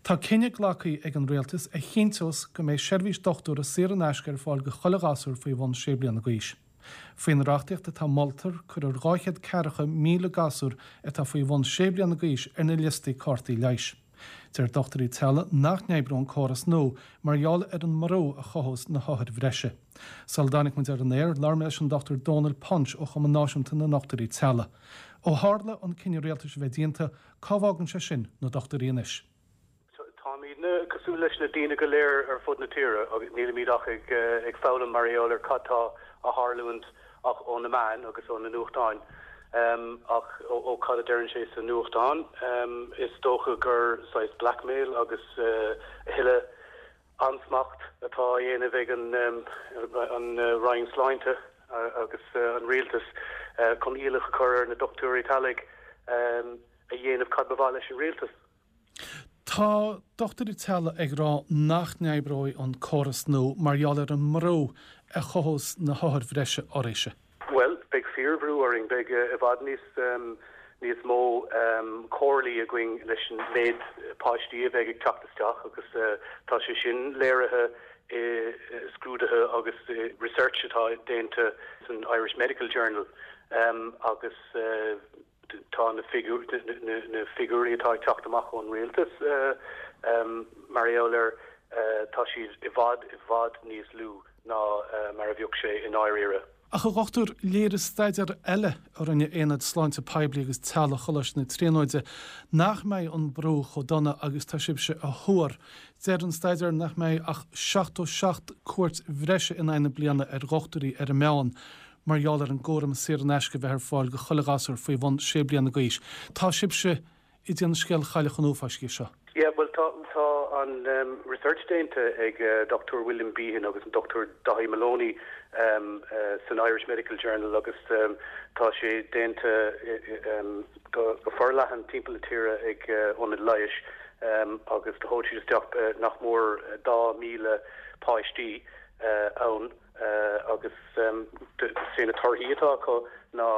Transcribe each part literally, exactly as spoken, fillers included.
Tá cinneadh glactha ag an rialtas a chinnteos go mbeidh seirbhís dochtúra saor in aisce ar fáil go chuile ghasúr faoi bhun sé bliana d'aois. Faoin reachtaíocht atá molta cuirfear dhá chéad ceathracha míle gasúr atá faoi bhun sé bliana d'aois ar na liostaí cártaí leighis. Deir dochtúirí teaghlaigh nach n-oibreoidh an córas nua mar gheall ar an mbrú a chothós na hothair bhreise. Sula dtáinig muid ar an aer, labhair mé leis an Dr Dónal Punch ó Chumann Náisiúnta na nDochtúirí Teaghlaigh. Ó tharla an cinneadh rialtais a bheith déanta, cá bhfágann sé sin na dochtúirí anois. Táimidne cosúil leis na daoine go léir ar fud na tíre agus nílimid ach ag ag foghlaim mar gheall ar cad tá ag tarlúint ach ó na meáin agus ó na nuachtáin um, ach ó, ó cad a deireann sé sa nuachtán um, is dócha gur saghas blackmail agus uh, thuilleadh ansmacht atá á dhéanamh ag an um, an uh, Roinn Sláinte uh, agus uh, an rialtas uh, chun iallach a chur ar na dochtúirí teaghlaigh um, a dhéanamh cad ba mhaith leis an rialtas. Tá dochtúirí teaghlaigh ag rá nach n-oibreoidh an córas nua mar gheall ar an mbrú a chothós na hothair bhreise oraibhse. Well, beidh fíorbhrú orainn beidh uh, i bhfad níos um, níos mó um, comhairlí againn leis an méid páistí a bheidh ag teacht isteach agus uh, tá sé sin léirithe i scrúduithe agus uh, research atá déanta san Irish Medical Journal um, agus uh, tá na figiúr na, na figiúirí atá ag teacht amach ón rialtas uh, um, mar gheall ar uh, tá siad i bhfad i bhfad níos lú ná uh, mar a bheadh sé i ndáiríre. Ach a dhochtúir léirigh staidéar eile a rinne Aonad Sláinte Poiblí agus Teaghlaigh Choláiste na Tríonóide nach mbeidh an brú chomh dona agus tá sibhse a thuar. Deir an staidéar nach mbeidh ach seachtó seacht cuairt bhreise in aghaidh na bliana ar dhochtúirí ar an meán. mar gheall ar an gcúram saor in aisce bheith ar fáil go chuile ghasúr faoi bhun sé bliana d'aois. Tá sibhse ag déanamh scéal Chailleach an Uafáis seo. Yeah, well tá tá an um, research déanta ag uh, Dr. William Behan agus an Dr. Daithí Moloney um, uh, san Irish Medical Journal agus um, tá sé déanta um, go, go forleathan timpeall na tíre ag uh, ionaid leighis um, agus do thóg siad isteach uh, nach mór dhá míle páistí uh, ann uh, agus um, sé na torthaí atá acu ná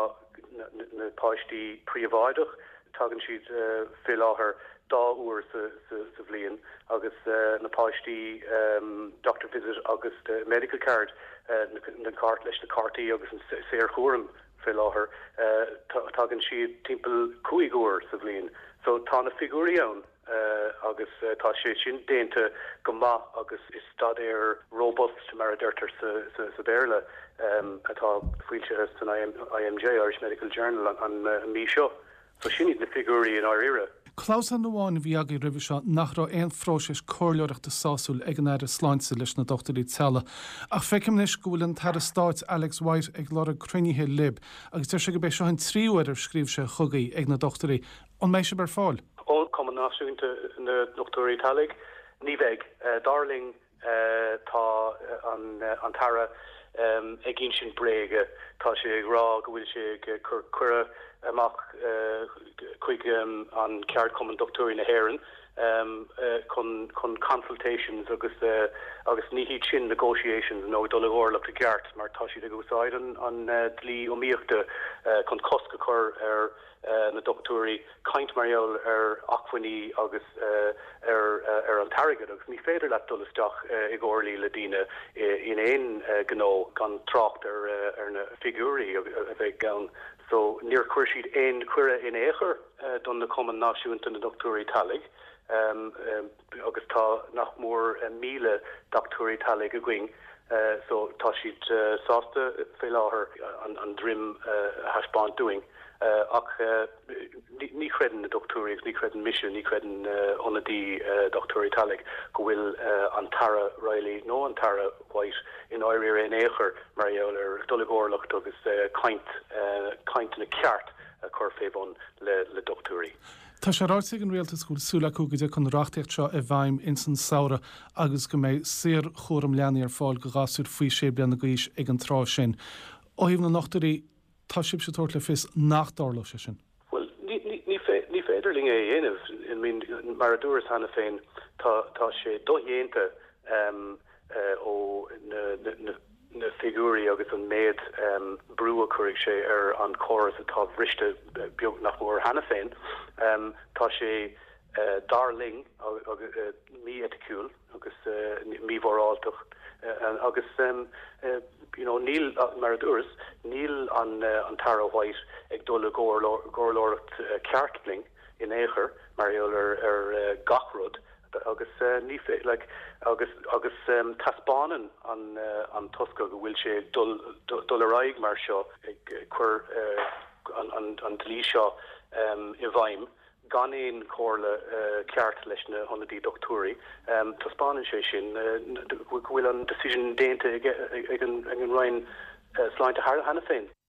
na, na páistí príobháideach tagann siad uh, fé láthair dá uair sa, sa, sa bhliain agus uh, na páistí um, doctor visit agus the medical card uh, na, na cairt leis na cártaí agus an saorchúram fé láthair uh, tagann siad timpeall cúig uair sa bhliain. So tá na figiúirí ann uh, agus uh, tá sé sin déanta go maith agus is staidéar robust mar a deirtear sa, sa, sa Béarla um, atá foilsithe san IMJ Irish Medical Journal an, an, an mí seo. So sin iad na figiúirí i ndáiríre. Clamhsán amháin a bhí agaibh roimhe seo nach raibh aon phróiseas comhairleoireachta sásúil ag an Aire Sláinte leis na dochtúirí teaghlaigh. Ach feicim anois go bhfuil an tAire Stáit Alex White ag lorg cruinnithe libh, agus deir sé go b'é seo an tríú huair ar scríobh sé chugaibh ag na dochtúirí an mbeidh sibh ar fáil. Ó Cumann Náisiúnta na nDochtúirí Teaghlaigh, ní bheidh uh, dar linn uh, tá an, uh, an tAire um, ag insint bréige tá sé ag rá go bhfuil sé ag cur cuireadh amach uh, chuig um, an Ceardchumann Dochtúirí na hÉireann um, uh, chun chun consultations agus uh, agus ní hiad sin negotiations nó dul i gcomhairle i gceart mar tá siad ag úsáid an, an uh, dlí iomaíochta uh, chun cosc a chur ar uh, na dochtúirí caint mar gheall ar acmhainní agus uh, ar uh, ar an t-airgead agus ní féidir leat dul isteach uh, i gcomhairlí le daoine in aon uh, gnó gan trácht ar, uh, ar na figiúirí a bheith ann. So níor chuir siad aon chuireadh in aon chor uh, don na Cumann Náisiúnta na Dochtúirí Teaghlaigh. Um, um, agus tá nach mór uh, míle dochtúirí teaghlaigh againn. Uh, so tá siad uh, sásta fé láthair an, an droim uh, thaispeáint dúinn. Uh, ach uh, ní chreideann na dochtúirí agus ní chreideann mise ní chreideann uh, ionadaí uh, dochtúirí teaghlaigh go bhfuil uh, an tAire Reilly nó an tAire White i ndáiríre in aon chor mar gheall ar dul i gcomhairle agus uh, caint uh, caint na ceart a chur fé bun le, le dochtúirí. Tá sé ráite ag an rialtas go bhfuil súil acu go dtiocfaidh an reachtaíocht seo i bhfeidhm ins an samhradh agus go mbeidh saorchúram leanaí ar fáil go ghasúir faoi sé bliana d'aois ag an tráth sin. Ó thaobh na ndochtúirí tá sibhse ag tabhairt le fios nach dtarlóidh sé sin. Well ní ní ní féidir linn é a dhéanamh mean mar a dúras cheana féin tá tá sé dodhéanta um, uh, ó na, na, na, na figiúirí agus an méid um, brú a chuirfidh sé ar an córas atá briste beag nach mór cheana féin. Um, tá sé dar linn mí-eiticiúil agus mímhoráltach agus you know níl mar a dúras níl an an tAire White ag dul i gcomhairleoireacht ceart linn in aon chor mar gheall ar ar gach rud agus ní like agus agus um, taispeánann an uh, an tosca go bhfuil sé dul dul ar aghaidh mar seo ag cur uh, an, an, an dlí seo um, i bhfeidhm gan aon chomhairle uh, ceart leis na hionadaí dochtúirí um, taispeánann sé sin uh, go bhfuil an decision déanta ag an ag an Roinn uh, sláinte cheana féin.